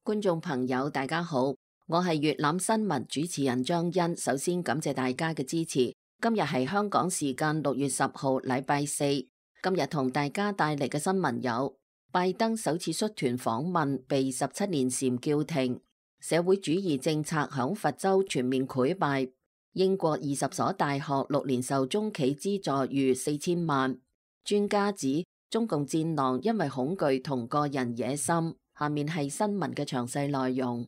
觀眾朋友大家好，我係粵覽新聞主持人張欣。首先感謝大家嘅支持。今日係香港時間6月10號禮拜四。今日同大家帶嚟嘅新聞有：拜登首次率團訪問被17年禪叫停；社會主義政策響佛州全面潰敗；英國20所大學6年受中企資助逾4000萬；專家指中共戰狼因為恐懼同個人野心。下面係新聞嘅詳細內容。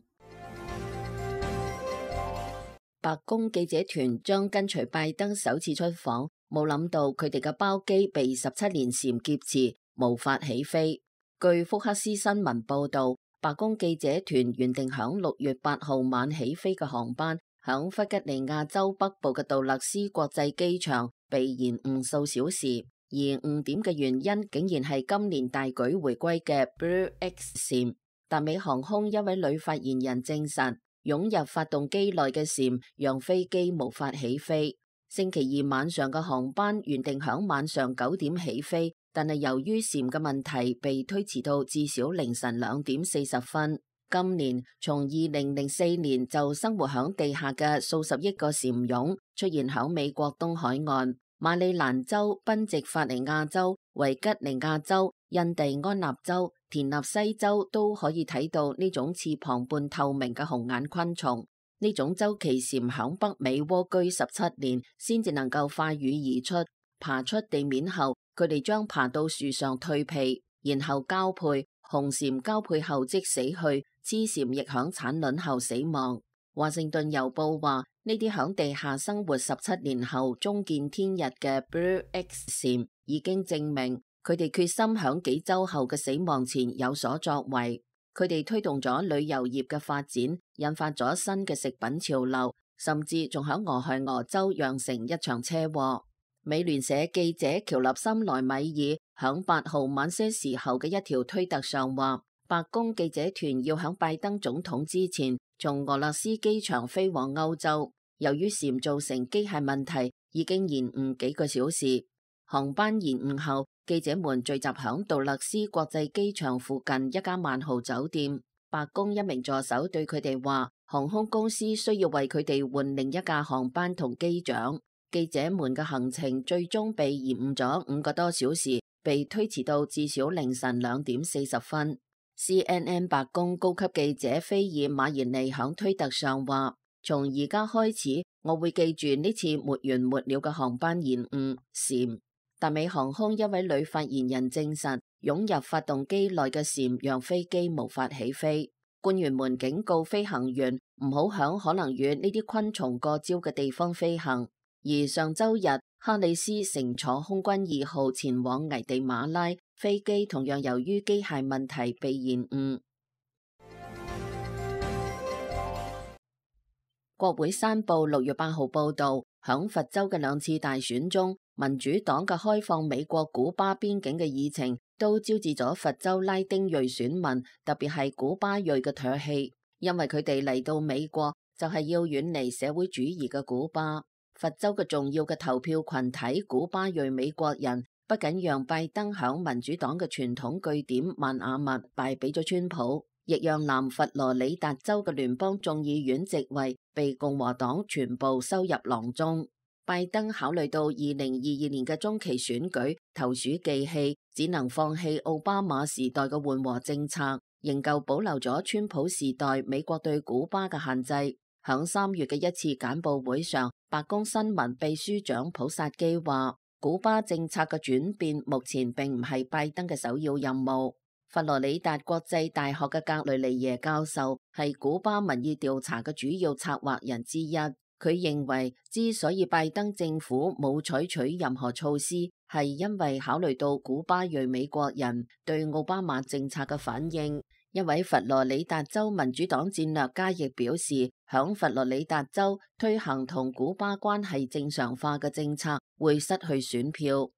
白宮記者團將跟隨拜登首次出訪，冇諗到佢哋嘅包機被17年禪劫持，無法起飛。據福克斯新聞報道，白宮記者團原定響6月8號晚起飛嘅航班，響弗吉尼亞州北部嘅杜勒斯國際機場被延誤數小時。而誤點嘅原因竟然係今年大舉回歸嘅 Blue X 禪。達美航空一位女發言人證實，湧入發動機內嘅禪讓飛機無法起飛。星期二晚上嘅航班原定響晚上9點起飛，但係由於禪嘅問題被推遲到至少凌晨2點40分。今年從2004年就生活響地下嘅數十億個禪蛹出現響美國東海岸。馬里蘭州、賓夕法尼亞州、維吉尼亞州、印第安納州、田納西州都可以睇到呢種翅膀半透明嘅紅眼昆蟲。呢種周期禪響北美蝸居17年，先至能夠化羽而出。爬出地面後，佢哋將爬到樹上蛻皮，然後交配。雄禪交配後即死去，雌禪亦響產卵後死亡。華盛頓郵報話，呢啲響地下生活17年後終見天日嘅 Blue X 禪已經證明佢哋決心響幾周後嘅死亡前有所作為。佢哋推動咗旅遊業嘅發展，引發咗新嘅食品潮流，甚至仲響俄亥俄州釀成一場車禍。美聯社記者喬立森萊米爾響8號晚些時候嘅一條推特上話，白宮記者團要響拜登總統之前從俄勒斯機場飛往歐洲，由於禪造成機械問題，已經延誤幾個小時。航班延誤後，記者們聚集響杜勒斯國際機場附近一間萬豪酒店。白宮一名助手對佢哋話，航空公司需要為佢哋換另一架航班同機長。記者們嘅行程最終被延誤咗5個多小時，被推遲到至少凌晨2點40分。CNN 白宮高級記者菲爾馬延尼響推特上話，從而家開始，我會記住呢次沒完沒了嘅航班延誤禪。達美航空一位女發言人證實，湧入發動機內嘅禪讓飛機無法起飛。官員們警告飛行員唔好響可能與呢啲昆蟲過招嘅地方飛行。而上周日，哈里斯乘坐空軍2號前往危地馬拉，飛機同樣由於機械問題被延誤。國會山報6月8號報道，響佛州嘅2次大選中，民主黨嘅開放美國古巴邊境嘅議程都招致咗佛州拉丁裔選民，特別係古巴裔嘅唾棄，因為佢哋嚟到美國就係要遠離社會主義嘅古巴。佛州嘅重要嘅投票群體古巴裔美國人，不僅讓拜登響民主黨嘅傳統據點邁阿密敗俾咗川普，亦讓南佛羅里達州嘅聯邦眾議院席位被共和黨全部收入囊中。拜登考慮到2022年嘅中期選舉投鼠忌器，只能放棄奧巴馬時代嘅緩和政策，仍舊保留咗川普時代美國對古巴嘅限制。響3月嘅一次簡報會上，白宮新聞秘書長普薩基話，古巴政策嘅轉變目前並唔係拜登嘅首要任務。佛羅里達國際大學嘅格雷尼耶教授係古巴民意調查嘅主要策劃人之一，佢認為之所以拜登政府冇採取任何措施，係因為考慮到古巴裔美國人對奧巴馬政策嘅反應。一位佛羅里達州民主黨戰略家亦表示，響佛羅里達州推行同古巴關係正常化嘅政策會失去選票。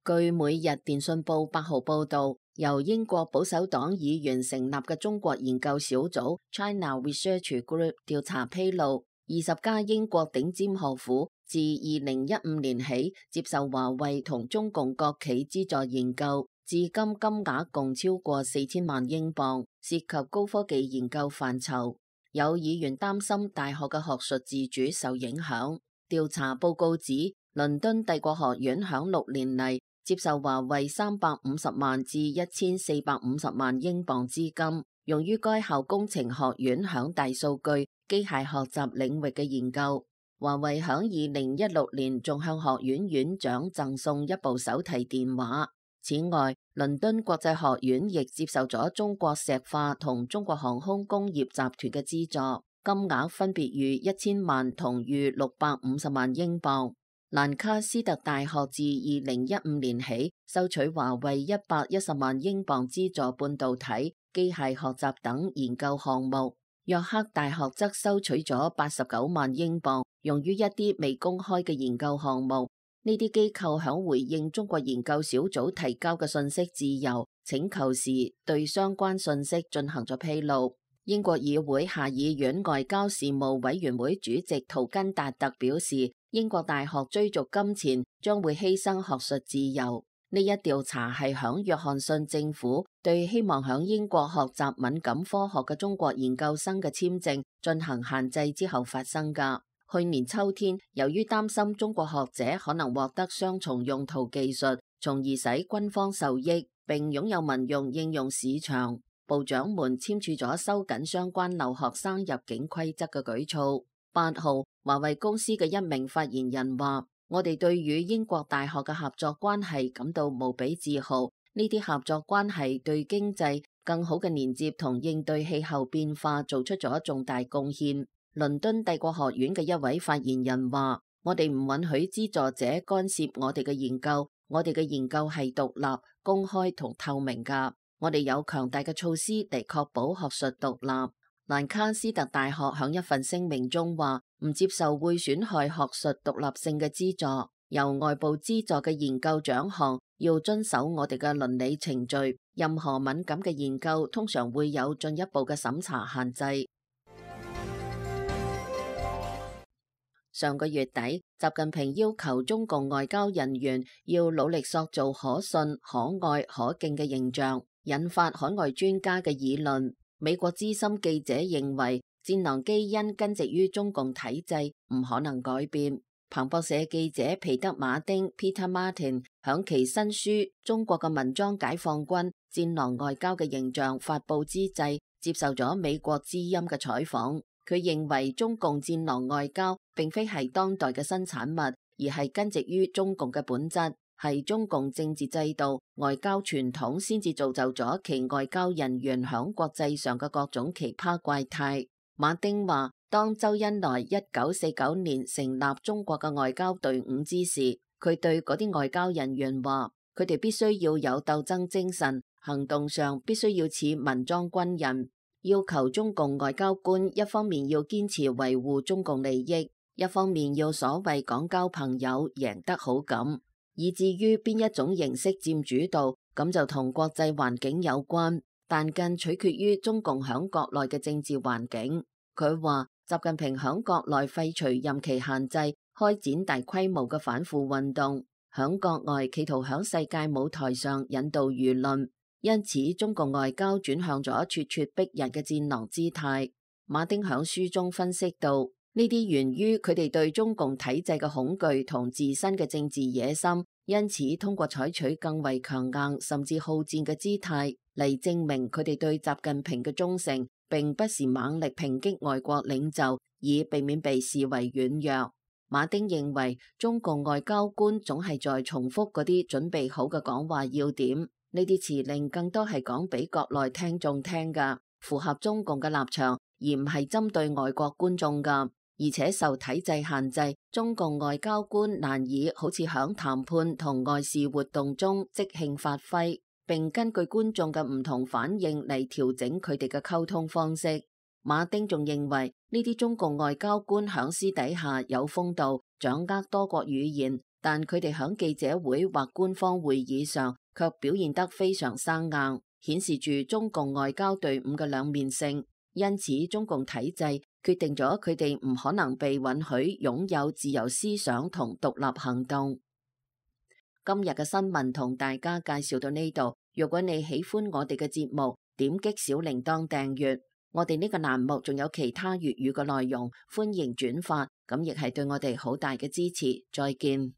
據每日電訊報8號報道，由英國保守黨議員成立嘅中國研究小組 China Research Group 調查披露，20家英國頂尖學府自2015年起接受華為同中共國企資助研究，至今金額共超過4000萬英鎊，涉及高科技研究範疇。有議員擔心大學嘅學術自主受影響。調查報告指，倫敦帝國學院響6年嚟接受華為350萬至1450萬英鎊資金，用於該校工程學院響大數據、機械學習領域嘅研究。華為響2016年仲向學院院長贈送一部手提電話。此外，倫敦國際學院亦接受咗中國石化同中國航空工業集團嘅資助，金額分別逾1000萬同逾650萬英鎊。蘭卡斯特大學自2015年起收取華為110萬英鎊資助半導體、機械學習等研究項目。約克大學則收取咗89萬英鎊，用於一啲未公開嘅研究項目。呢啲機構響回應中國研究小組提交嘅信息自由請求時，對相關信息進行咗披露。英國議會下議院外交事務委員會主席圖根達特表示，英國大學追逐金錢將會犧牲學術自由。呢一調查係響約翰遜政府對希望響英國學習敏感科學嘅中國研究生嘅簽證進行限制之後發生㗎。去年秋天，由於擔心中國學者可能獲得雙重用途技術，從而使軍方受益，並擁有民用應用市場，部長們簽署咗收緊相關留學生入境規則嘅舉措。8號，華為公司嘅一名發言人話：我哋對與英國大學嘅合作關係感到無比自豪，呢啲合作關係對經濟更好嘅連接同應對氣候變化做出咗重大貢獻。倫敦帝國學院嘅一位發言人話：我哋唔允許資助者干涉我哋嘅研究，我哋嘅研究係獨立、公開同透明㗎。我哋有強大嘅措施嚟確保學術獨立。蘭卡斯特大學響一份聲明中話：唔接受會損害學術獨立性嘅資助，由外部資助嘅研究獎項要遵守我哋嘅倫理程序。任何敏感嘅研究通常會有進一步嘅審查限制。上個月底，習近平要求中共外交人員要努力塑造可信、可愛、可敬嘅形象，引發海外專家嘅議論。美國資深記者認為，戰狼基因根植於中共體制，唔可能改變。彭博社記者皮德馬丁 （Peter Martin） 響其新書《中國嘅文裝解放軍：戰狼外交嘅形象》發佈之際，接受咗美國之音嘅採訪。佢認為中共戰狼外交並非係當代嘅新產物，而係根植於中共嘅本質，係中共政治制度、外交傳統先至造就咗其外交人員響國際上嘅各種奇葩怪態。馬丁話：當周恩來1949年成立中國嘅外交隊伍之時，佢對嗰啲外交人員話：佢哋必須要有鬥爭精神，行動上必須要似民裝軍人。要求中共外交官一方面要堅持維護中共利益，一方面要所謂講交朋友、贏得好感，以至於邊一種形式佔主導，咁就同國際環境有關，但更取決於中共響國內嘅政治環境。佢話習近平響國內廢除任期限制，開展大規模嘅反腐運動，響國外企圖響世界舞台上引導輿論。因此，中共外交轉向咗咄咄逼人嘅戰狼姿態。馬丁響書中分析到，呢啲源於佢哋對中共體制嘅恐懼同自身嘅政治野心，因此通過採取更為強硬甚至好戰嘅姿態嚟證明佢哋對習近平嘅忠誠，並不是猛力抨擊外國領袖，以避免被視為軟弱。馬丁認為，中共外交官總係在重複嗰啲準備好嘅講話要點。呢啲辭令更多係講俾國內聽眾聽㗎，符合中共嘅立場，而唔係針對外國觀眾㗎。而且受體制限制，中共外交官難以好似響談判同外事活動中即興發揮，並根據觀眾嘅唔同反應嚟調整佢哋嘅溝通方式。馬丁仲認為，呢啲中共外交官響私底下有風度，掌握多國語言，但佢哋響記者會或官方會議上卻表現得非常生硬，顯示住中共外交隊伍嘅兩面性。因此，中共體制決定咗佢哋唔可能被允許擁有自由思想同獨立行動。今日嘅新聞同大家介紹到呢度。如果你喜歡我哋嘅節目，點擊小鈴鐺訂閱。我哋呢個欄目仲有其他粵語嘅內容，歡迎轉發，咁亦係對我哋好大嘅支持。再見。